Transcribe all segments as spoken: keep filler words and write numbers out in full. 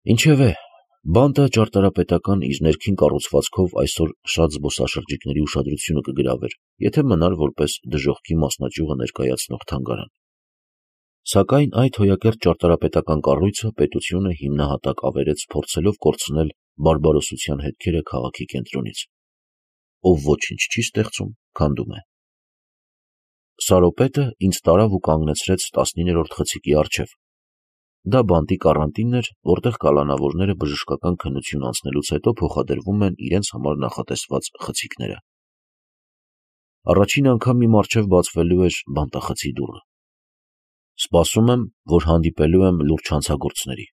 Ինչևէ, բանտը ճարտարապետական իր ներքին կառուցվածքով այսօր շատ զբոսաշրջիկների ուշադրությունը կգրավեր, եթե մնար որպես դժոխքի մասնաճյուղը ներկայացնող թանգարան։ Սակայն այդ հոյակերտ ճարտարապետական կառույցը պետությունը հիմնահատակ ավերեց փորձելով կորցնել բարբարոսության հետքերը քաղաքի կենտրոնից։ Ով ոչինչ չի ստեղծում, քանդում է։ Սարոպետը ինձ տարավ ու կանգնեցրեց տասնիններորդ խցիկի առջև։ Դա բանտի կառանտինն էր, որտեղ կալանավորները բժշկական քննություն անցնելուց հետո փոխադրվում են իրենց համար նախատեսված խցիկները։ Առաջին անգամ իմ առջև բացվելու էր բանտախցի դուռը։ Սպասում եմ, որ հանդիպելու եմ լուրջ հանցագործների։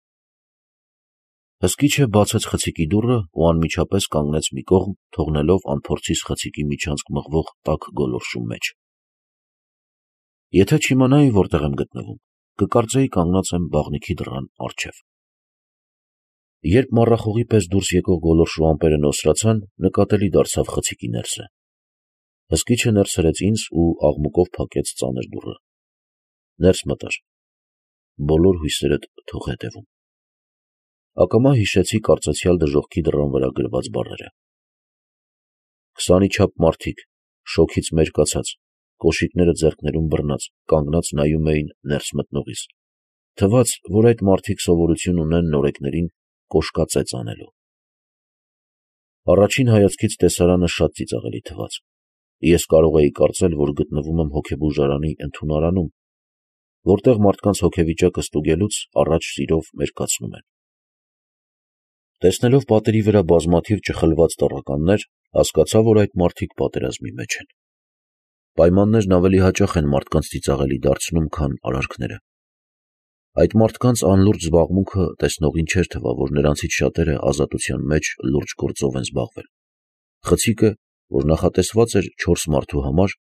Հսկիչը բացեց խցիկի դուռը ու անմիջապես կանգնեց մի կողմ, թողնելով անփորձիս խցիկի միջանցք մղվող տաք գոլորշու մեջ։ Եթե չիմանայի որտեղ եմ գտնվում, կկարծեի կանգնած եմ բաղնիքի դռան առջև։ Երբ մառախուղի պես դուրս եկող գոլորշու ամպերը նոսրացան, նկատելի դարձավ խցիկի ներսը։ Հսկիչը ներս հրեց ինձ ու աղմուկով փակեց ծանր դուռը։ Ներս մտար։ Բոլոր հույսերդ թող հետևում։ Ակամա հիշեցի կարծեցյալ դժոխքի դռան վրա գրված բառերը։ Քսանի չափ մարդիկ, շոգից մերկացած, կոշիկները ձեռքներում բռնած, կանգնած նայում էին ներս մտնողիս։ Թվաց, որ այդ մարդիկ սովորություն ունեն նորեկներին կոշկածեծ անելու։ Առաջին հայացքից տեսարանը շատ ծիծաղելի թվաց։ Ես կարող էի կարծել, որ գտնվում եմ հոգեբուժարանի ընդունարանում, որտեղ մարդկանց հոգեվիճակը ստուգելուց առաջ սիրով մերկացնում են։ Տեսնելով պատերի վրա բազմաթիվ ճխլված տառականներ, հասկացա, որ այդ մարդիկ պատերազմի մեջ են։ Պայմաններն ավելի հաճախ են մարդկանց ծիծաղելի դարձնում, քան արարքները։ Այդ մարդկանց անլուրջ զբաղմունքը տեսնողին չէր թվա, որ նրանցից շատերը ազատության մեջ լուրջ գործով են զբաղվել։ Խցիկը, որ նախատեսված էր չորս մարդու համար,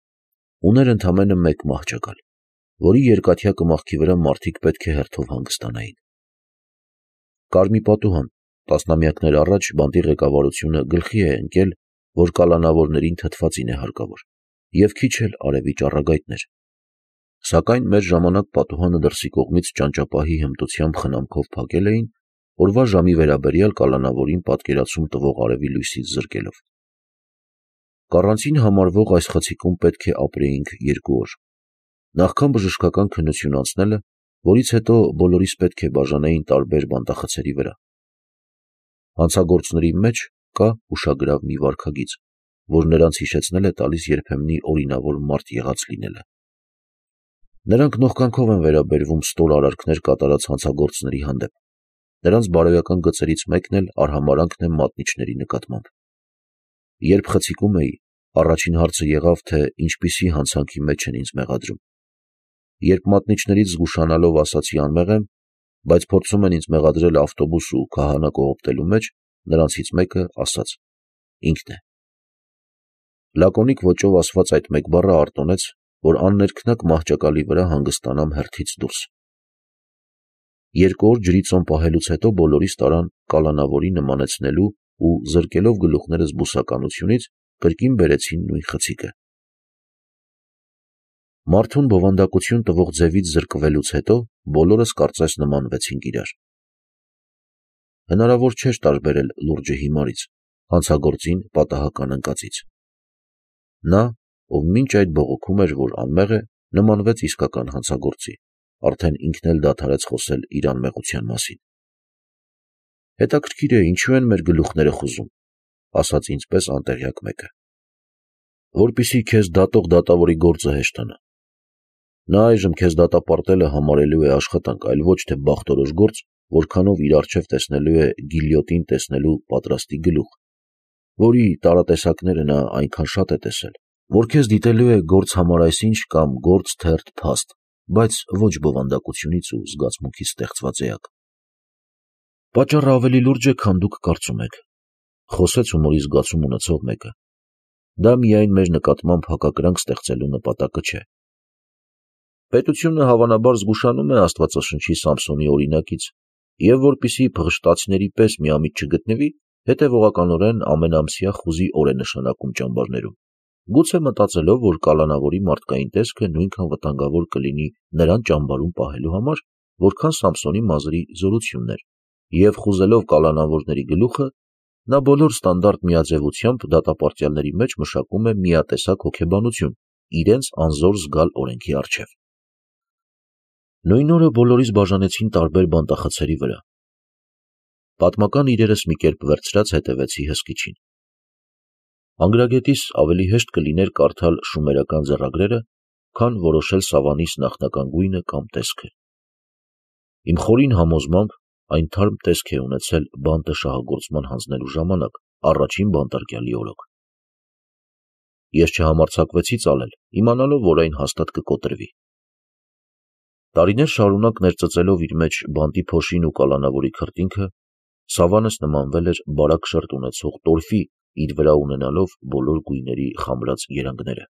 ուներ ընդամենը մեկ մահճակալ, որի երկաթյա կմախքի վրա մարդիկ պետք է հերթով հանգստանային։ Կար մի պատուհան, տասնամյակներ առաջ բանտի ղեկավարությունը գլխի է ընկել, որ կալանավորներին թթվածին է հարկավոր, և քիչ էլ արևի ճառագայթներ։ Սակայն մեր ժամանակ պատուհանը դրսի կողմից ճանճապահի հմտությամբ խնամքով փակել էին, օրվա ժամի վերաբերյալ կալանավորին պատկերացում տվող արևի լույսից զրկելով։ Կառանցին համարվող այս խցիկում պետք է ապրեինք երկու օր։ Նախքան բժշկական քննություն անցնելը, որից հետո բոլորիս պետք է բաժանեին տարբեր բանտախցերի վրա։ Հանցագործների մեջ կա ուշագրավ մի վարքագիծ, որ նրանց հիշեցնել է տալիս երբեմնի օրինավոր մարդ եղած լինելը։ Նրանք նողկանքով են վերաբերվում ստոր արարքներ կատարած հանցագործների հանդեպ։ Նրանց բարոյական գծերից մեկն էլ արհամարհանքն է մատնիչների նկատմամբ։ Երբ խցիկում էի, առաջին հարցը եղավ, թե ինչպիսի հանցանքի մեջ են ինձ մեղադրում։ Երբ մատնիչներից զգուշանալով ասացի անմեղ եմ, բայց փորձում են ինձ մեղադրել ավտոբուս ու քահանա կողոպտելու մեջ, նրանցից մեկը ասաց. ինքն է։ Լակոնիկ ոճով ասված այդ մեկ բառը արտոնեց, որ աններքնակ մահճակալի վրա հանգստանամ հերթից դուրս։ Երկու օր ջրի ծոմ պահելուց հետո բոլորիս տարան կալանավորի նմանեցնելու ու զրկելով գլուխներս բուսականությունից, կրկին բերեցին նույն խցիկը։ Մարդուն բովանդակություն տվող ձևից զրկվելուց հետո բոլորս կարծես նմանվեցինք իրար։ Հնարավոր չէր տարբերել լուրջը հիմարից, հանցագործին պատահական ընկածից։ Նա, ով մինչ այդ բողոքում էր, որ անմեղ է, նմանվեց իսկական հանցագործի, արդեն ինքն էլ դադարեց խոսել իր անմեղության մասին։ Հետաքրքիր է, ինչու են մեր գլուխները խուզում, ասաց ինձ պես անտեղյակ մեկը։ Որպեսզի քեզ դատող դատավորի գործը հեշտանա։ Նա այժմ քեզ դատապարտելը համարելու է աշխատանք, այլ ոչ թե բախտորոշ գործ, որքանով իր առջև տեսնելու է գիլյոտին տեսնելու պատրաստի գլուխ, որի տարատեսակները նա այնքան շատ է տեսել, որ քեզ դիտելու է գործ համար այսինչ կամ գործ թերթ փաստ, բայց ոչ բովանդակությունից ու զգացմունքից ստեղծված էակ։ Պատճառը ավելի լուրջ է, քան դուք կարծում եք, խոսեց հումորի զգացում ունեցող մեկը։ Դա միայն մեր նկատմամբ հակակրանք ստեղծելու նպատակը չէ։ Պետությունը հավանաբար զգուշանում է Աստվածաշնչի Սամսոնի օրինակից, և որպեսզի փղշտացիների պես միամիտ չգտնվի, հետևողականորեն ամենամսյա խուզի օր է նշանակում ճամբարներում, գուցե մտածելով, որ կալանավորի մարդկային տեսքը նույնքան վտանգավոր կլինի նրան ճամբարում պահելու համար, որքան Սամսոնի մազերի զորությունն էր, և խուզելով կալանավորների գլուխը, նա բոլոր ստանդարտ միաձևությամբ դատապարտյալների մեջ մշակում է միատեսակ հոգեբանություն իրենց անզոր զգալ օրենքի առջև։ Նույն օրը բոլորիս բաժանեցին տարբեր բանտախցերի վրա։ Պատմական իրերս մի կերպ վերցրած հետևեցի հսկիչին։ Անգրագետիս ավելի հեշտ կլիներ կարդալ շումերական ձեռագրերը, քան որոշել Սավանիս նախնական գույնը կամ տեսքը։ Իմ խորին համոզմամբ այն թարմ տեսք է ունեցել բանտը շահագործման հանձնելու ժամանակ առաջին բանտարկյալի օրոք։ Ես չհամարձակվեցի ծալել, իմանալով, որ այն հաստատ կկոտրվի։ Տարիներ շարունակ ներծծելով իր մեջ բանտի փոշին ու կալանավորի քրտինքը, Սավանս նմանվել էր բարակ շերտ ունեցող տորֆի, իր վրա ունենալով բոլոր գույների խամրած երանգները։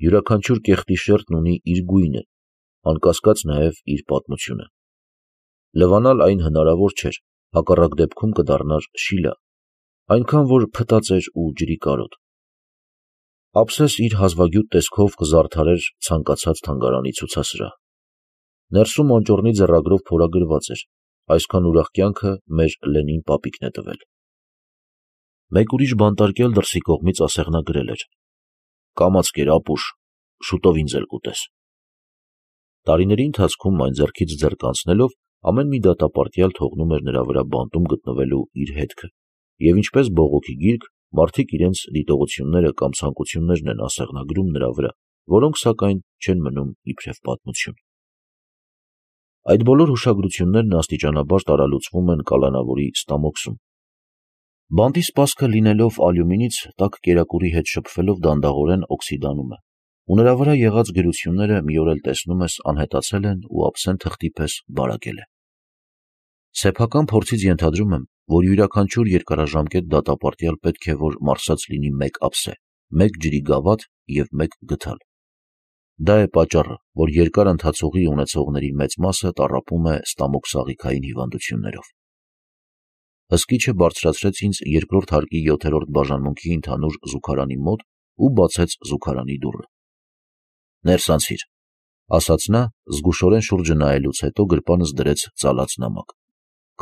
Յուրաքանչյուր կեղտի շերտն ունի իր գույնը, անկասկած նաև իր պատմությունը։ Լվանալ այն հնարավոր չէր, հակառակ դեպքում կդառնար շիլա, այնքան որ փտած էր ու ջրի կարոտ։ Ափսես իր հազվագյուտ տեսքով կզարդարեր ցանկացած թանգարանի ցուցասրահ։ Ներսում անճոռնի ձեռագրով փորագրված էր. այսքան ուրախ կյանքը մեր Լենին պապիկն է տվել։ Մեկ ուրիշ բանտարկյալ դրսի կողմից ասեղնագրել էր. կամաց կեր ապուշ, շուտով ինձ էլ կուտես։ Տարիների ընթացքում այն ձեռքից ձեռք անցնելով ամեն մի դատապարտյալ թողնում էր նրա վրա բանտում գտնվելու իր հետքը, և ինչպես բողոքի գիրք, մարդիկ իրենց դիտողությունները կամ ցանկություններն են ասեղնագրում նրա վրա, որոնք սակայն չեն մնում իբրև պատմություն։ Այդ բոլոր հուշագրություններն աստիճանաբար տարալուծվում են կալանավորի ստամոքսում։ Բանտի սպասքը լինելով ալյումինից, տաք կերակուրի հետ շփվելով դանդաղորեն օքսիդանում է, ու նրա վրա եղած գրությունները մի օր էլ տեսնում ես անհետացել են ու ափսեն թղթի պես բարակել է։ Սեփական փորձից ենթադրում եմ, որ յուրաքանչյուր երկարաժամկետ դատապարտյալ պետք է որ մարսած լինի մեկ ափսե, մեկ ջրի գավաթ և մեկ գդալ։ Դա է պատճառը, որ երկար ընթացողի ունեցողների մեծ մասը տառապում է ստամոքսաղիքային հիվանդություններով։ Հսկիչը բարձրացրեց ինձ երկրորդ հարկի յոթերորդ բաժանմունքի ընդհանուր զուգարանի մոտ ու բացեց զուգարանի դուռը։ «Ներս անցիր», ասաց նա, զգուշորեն շուրջը նայելուց հետո գրպանս դրեց ծալած նամակ։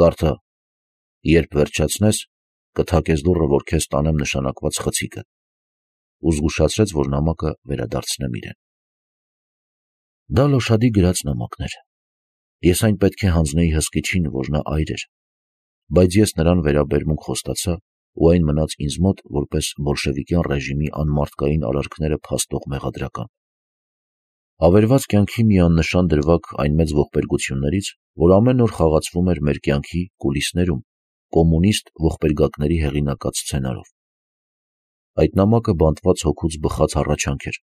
«Կարդա, երբ վերջացնես, կթակես դուռը, որ քեզ տանեմ նշանակված խցիկը», ու զգուշացրեց, որ նամակը վերադարձնեմ իրեն։ Դա Լոշադի գրած նամակն էր։ Ես այն պետք է հանձնեի հսկիչին, որ նա այր էր, բայց ես նրան վերաբերմունք խոստացա ու այն մնաց ինձ մոտ որպես բոլշևիկյան ռեժիմի անմարդկային արարքները փաստող մեղադրական։ Ավերված կյանքի մի աննշան դրվագ այն մեծ ողբերգություններից, որ ամեն օր խաղացվում էր մեր կյանքի կուլիսներում, կոմունիստ ողբերգակների հեղինակած սցենարով։ Այդ նամակը բանտված հոգուց բխած հառաչանք էր,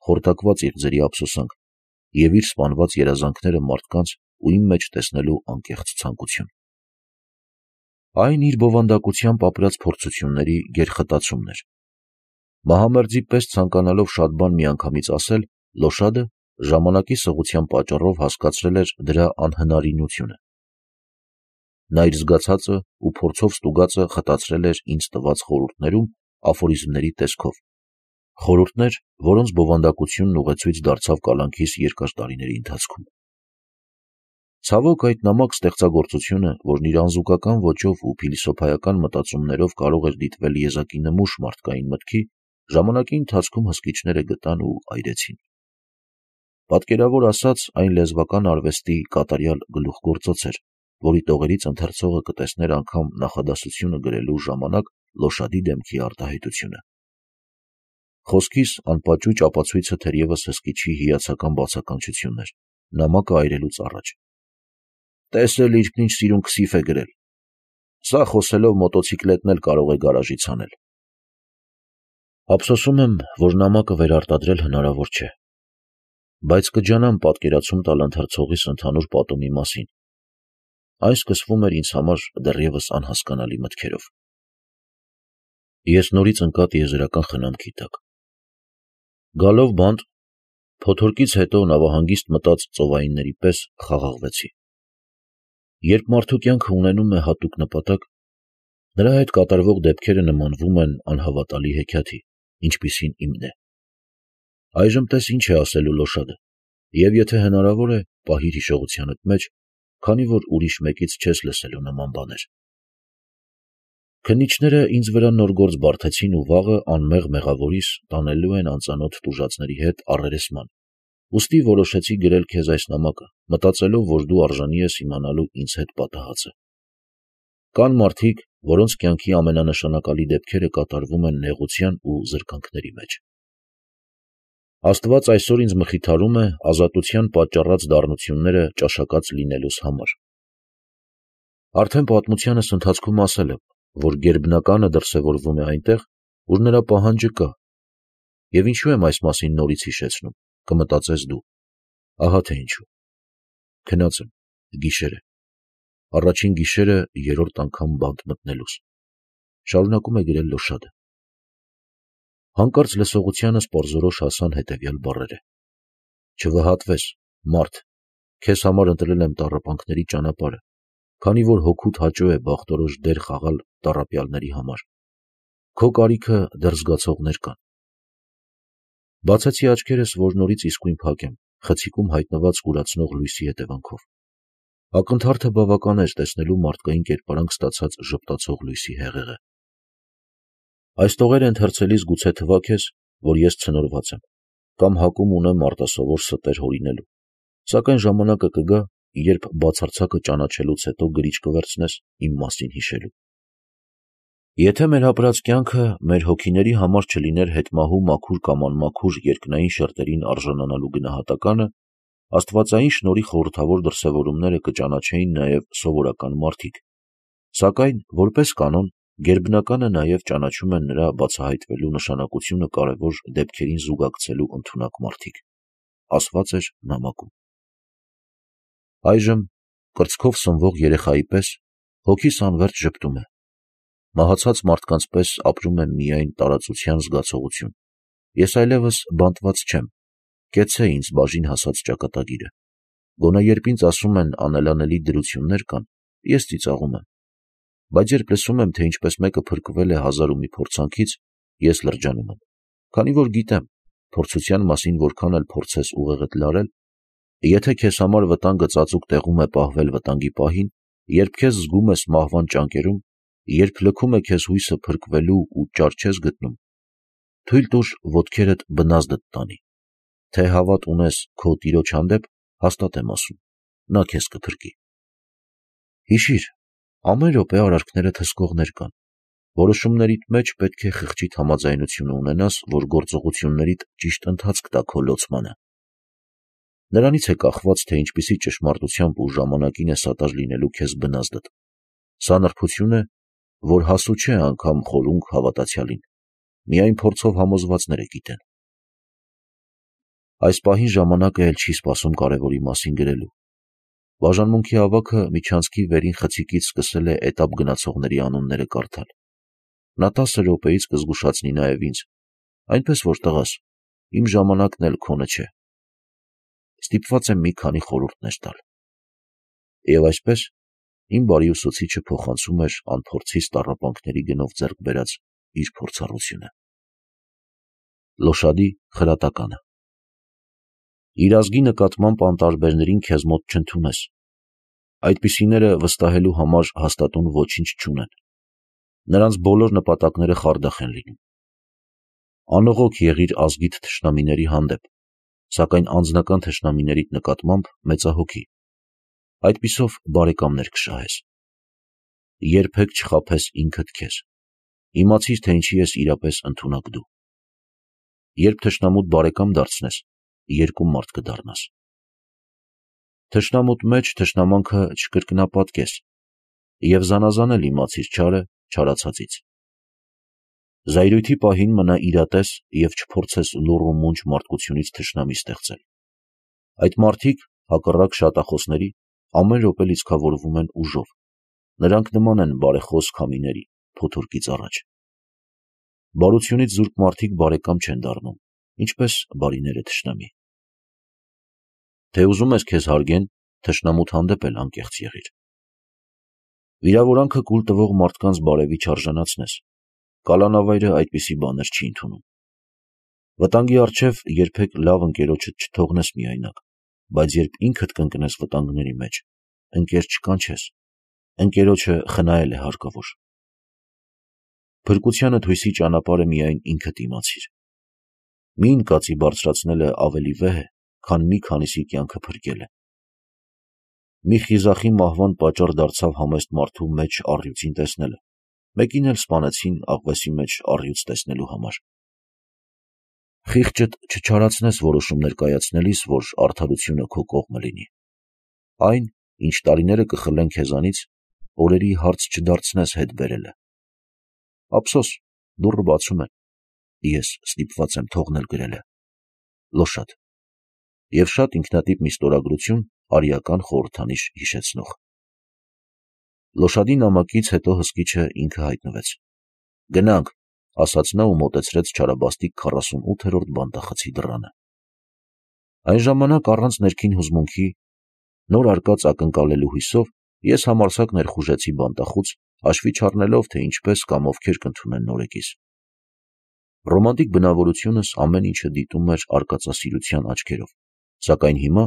խորտակված իղձերի ափսոսանք և իր սպանված երազանքները մարդկանց ու իմ մեջ տեսնելու անկեղծ ցանկություն։ Այն իր բովանդակությամբ ապրած փորձությունների գերխտացումն էր։ Մահամերձի պես ցանկանալով շատ բան միանգամից ասել, Լոշադը ժամանակի սղության պատճառով հասկացրել էր դրա անհնարինությունը։ Նա իր զգացածը ու փորձով ստուգածը խտացրել էր ինձ տված խորհուրդներում աֆորիզմների տեսքով, խորհուրդներ, որոնց բովանդակությունն ուղեցույց դարձավ կալանքիս երկար տարիների ընթացքում։ Ցավոք, այդ նամակ ստեղծագործությունը, որն իր անզուգական ոճով ու փիլիսոփայական մտածումներով կարող էր դիտվել եզակի նմուշ մարդկային մտքի, ժամանակի ընթացքում հսկիչները գտան ու այրեցին։ Պատկերավոր ասած, այն լեզվական արվեստի կատարյալ գլուխգործոց էր, որի տողերից ընթերցողը կտեսներ անգամ նախադասությունը գրելու ժամանակ Լոշադի դեմքի արտահայտությունը։ Խոսքիս անպաճուճ ապացույցը թերևս հսկիչի հիացական բացականչությունն էր, նամակը այրելուց առաջ։ «Տեսել ինքն ինչ սիրուն քսիֆ է գրել։ Սա խոսելով մոտոցիկլետն էլ կարող է գարաժից հանել»։ Ափսոսում եմ, որ նամակը վերարտադրել հնարավոր չէ, բայց կջանամ պատկերացում տալ ընթերցողիս ընդհանուր պատումի մասին։ Այն սկսվում էր ինձ համար դեռևս անհասկանալի մտքերով։ Ես նորից ընկա տիեզերական խնամքի տակ։ Գալով բանտ, փոթորկից հետո նավահանգիստ մտած ծովայինների պես խաղաղվեցի։ Երբ մարդու կյանքը ունենում է հատուկ նպատակ, նրա հետ կատարվող դեպքերը նմանվում են անհավատալի հեքիաթի, ինչպիսին իմն է։ Այժմ տես ինչ է ասելու Լոշադը, և եթե հնարավոր է, պահիր հիշողությանդ մեջ, քանի որ ուրիշ մեկից չես լսելու նման բաներ։ Քննիչները ինձ վրա նոր գործ բարդեցին ու վաղը անմեղ մեղավորիս տանելու են անծանոթ տուժածների հետ առերեսման, ուստի որոշեցի գրել քեզ այս նամակը, մտածելով, որ դու արժանի ես իմանալու ինձ հետ պատահածը։ Կան մարդիկ, որոնց կյանքի ամենանշանակալի դեպքերը կատարվում են նեղության ու զրկանքների մեջ։ Աստված այսօր ինձ մխիթարում է ազատության պատճառած դառնությունները ճաշակած լինելուս համար։ Արդեն պատմությանս ընթացքում ասել եմ, որ գերբնականը դրսևորվում է այնտեղ, ուր նրա պահանջը կա, և ինչու եմ այս մասին նորից հիշեցնում, կմտածես դու, ահա թե ինչու։ Քնած եմ, գիշեր է, առաջին գիշերը երրորդ անգամ բանտ մտնելուս, շարունակում է գրել Լոշադը։ Հանկարծ լսողությանս պարզորոշ հասան հետևյալ բառերը. «Չվհատվես, մարդ, քեզ համար ընտրել եմ տառապանքների ճանապարհը, քանի որ հոգուդ հաճո է բախտորոշ դեր խաղալ տառապյալների համար։ Քո կարիքը դեռ զգացողներ կան»։ Բացեցի աչքերս, որ նորից իսկույն փակեմ, խցիկում հայտնված կուրացնող լույսի հետևանքով։ Ակնթարթը բավական էր տեսնելու մարդկային կերպարանք ստացած ժպտացող լույսի հեղեղը։ Այս տողերը ընթերցելիս գուցե թվա քեզ, որ ես ցնորված եմ, կամ հակում ունեմ արտասովոր ստեր հորինելու, սակայն ժամանակը կգա, երբ բացարձակը ճանաչելուց հետո գրիչ կվերցնես իմ մասին հիշելու։ Եթե մեր ապրած կյանքը մեր հոգիների համար չլիներ հետմահու մաքուր կամ անմաքուր երկնային շերտերին արժանանալու գնահատականը, աստվածային շնորհի խորհրդավոր դրսևորումները կճանաչեին նաև սովորական մարդիկ, սակայն, որպես կանոն, գերբնականը նաև ճանաչում են նրա բացահայտվելու նշանակությունը կարևոր դեպքերին զուգակցելու ընդունակ մարդիկ, ասված էր նամակում։ Այժմ, կրծքով սնվող երեխայի պես, հոգիս անվերջ ժպտում է, մահացած մարդկանց պես ապրում եմ միայն տարածության զգացողություն, ես այլևս բանտված չեմ, կեցցե ինձ բաժին հասած ճակատագիրը, գոնե երբ ինձ ասում են անելանելի դրություններ կան, ես ծիծաղում եմ, բայց երբ լսում եմ, թե ինչպես մեկը փրկվել է հազար ու մի փորձանքից, ես լրջանում եմ, քանի որ գիտեմ, փորձության մասին որքան էլ փորձես ուղեղդ լարել, եթե քեզ համար վտանգը ծածուկ տեղում է պահվել վտանգի պահին, երբ քեզ զգում ես մահվան ճանկերում, երբ լքում է քեզ հույսը փրկվելու ու ճար չես գտնում, թույլ տուր ոտքերդ բնազդդ տանի, թե հավատ ունես քո տիրոջ հանդեպ, հաստատ եմ ասում, նա քեզ կփրկի։ Հիշիր, ամեն րոպե արարքներդ հսկողներ կան, որոշումներիդ մեջ պետք է խղճիդ համաձայնությունը ունենաս, որ գործողություններիդ ճիշտ ընթացք տա քո լոցմանը։ Նրանից է կախված, թե ինչպիսի ճշմարտությամբ ու ժամանակին է սատար լինելու քեզ բնազդդ։ Սա նրբություն է, որ հասու չէ անգամ խորունգ հավատացյալին, միայն փորձով համոզվածները գիտեն։ Այս պահին ժամանակը էլ չի սպասում կարևորի մասին գրելու։ Բաժանմունքի ավագը միջանցքի վերին խցիկից սկսել է էտապ գնացողների անունները կարդալ։ Նա տասը րոպեից կզգուշացնի նաև ինձ, այնպես որ տղաս, իմ ժամանակն էլ քոնը չէ։ Ստիպված եմ մի քանի խորհուրդներ տալ։ Եվ այսպես, իմ բարի ուսուցիչը փոխանցում էր անփորձից տառապանքների գնով ձեռք բերած իր փորձառությունը։ Լոշադի խրատականը։ Իր ազգի նկատմամբ անտարբերներին քեզ մոտ չընդունես։ Այդպիսիները վստահելու համար հաստատուն ոչինչ չունեն։ Նրանց բոլոր նպատակները խարդախ են լինում։ Անողոք եղիր ազգիդ թշնամիների հանդեպ, սակայն անձնական թշնամիներիդ նկատմամբ մեծահոգի, այդպիսով բարեկամներ կշահես։ Երբեք չխաբես ինքդ քեզ, իմացիր, թե ինչի ես իրապես ընդունակ դու։ Երբ թշնամուդ բարեկամ դարձնես, երկու մարդ կդառնաս։ Թշնամուտ մեջ թշնամանքը չկրկնապատկես, և զանազանել իմացիր չարը չարացածից։ Զայրույթի պահին մնա իրատես և չփորձես լուռ ու մունջ մարդկությունից թշնամի ստեղծել։ Այդ մարդիկ, հակառակ շատախոսների, ամեն րոպե լիցքավորվում են ուժով, նրանք նման են բարեխոս քամիների, փոթորկից առաջ։ Բարությունից զուրկ մարդիկ բարեկամ չեն դառնում, ինչպես բարիները թշնամի։ Թե ուզում ես քեզ հարգեն, թշնամուդ հանդեպ էլ անկեղծ եղիր։ Վիրավորանքը կուլ տվող մարդկանց բարևի չարժանացնես, կալանավայրը այդպիսի բաներ չի ընդունում։ Վտանգի առջև երբեք լավ ընկերոջդ չթողնես միայնակ, բայց երբ ինքդ կընկնես վտանգների մեջ, ընկեր չկանչես, ընկերոջը խնայել է հարկավոր։ Փրկությանդ հույսի ճանապարհը միայն ինքդ իմացիր։ Մի ընկածի բարձրացնելը ավելի վեհ է, քան մի քանիսի կյանքը փրկելը։ Մի խիզախի մահվան պատճառ դարձավ համեստ մարդու մեջ առյուծին տեսնելը, մեկին էլ սպանեցին աղվեսի մեջ առյուծ տեսնելու համար։ Խիղճդ չչարացնես որոշումներ կայացնելիս, որ արդարությունը քո կողմը լինի։ Այն, ինչ տարիները կխլեն քեզանից, օրերի հարց չդարձնես հետ բերելը։ Ափսոս, դուռը բացում են, ես ստիպված եմ թողնել գրելը։ Լոշադ։ Եվ շատ ինքնատիպ մի ստորագրություն արիական խորհրդանիշ հիշեցնող։ Լոշադի նամակից հետո հսկիչը ինքը հայտնվեց։ Գնանք, ասաց նա ու մոտեցրեց չարաբաստիկ քառասունութերորդ բանտախցի դռանը։ Այն ժամանակ առանց ներքին հուզմունքի, նոր արկած ակնկալելու հույսով, ես համարձակ ներխուժեցի բանտախուց, հաշվի չառնելով, թե ինչպես կամ ովքեր կընդունեն նորեկիս։ Ռոմանտիկ բնավորությունս ամեն ինչը դիտում էր արկածասիրության աչքերով, սակայն հիմա,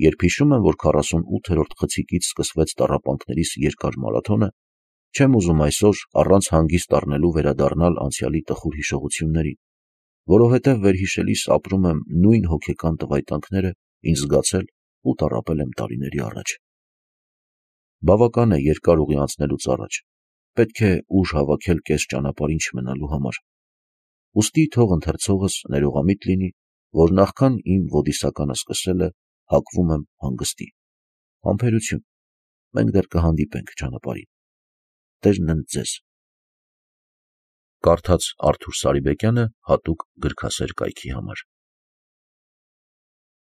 երբ հիշում եմ, որ քառասունութերորդ խցիկից սկսվեց տառապանքներիս երկար մարաթոնը, չեմ ուզում այսօր առանց հանգիստ առնելու վերադառնալ անցյալի տխուր հիշողություններին, որովհետև վերհիշելիս ապրում եմ նույն հոգեկան տվայտանքները ինձ զգացել ու տառապել եմ տարիների առաջ։ Բավական է երկար ուղի անցնելուց առաջ, պետք է ուժ հավաքել կես ճանապարհին չմնալու համար։ Ուստի թող ընթերցողս ներողամիտ լինի, որ նախքան իմ ոդիսականը սկսելը հակվում եմ հանգստի։ Համբերություն, մենք դեռ կհանդիպենք ճանապարհին։ Տերն ընդ ձեզ։ Կարդաց Արթուր Սարիբեկյանը հատուկ գրքասեր կայքի համար։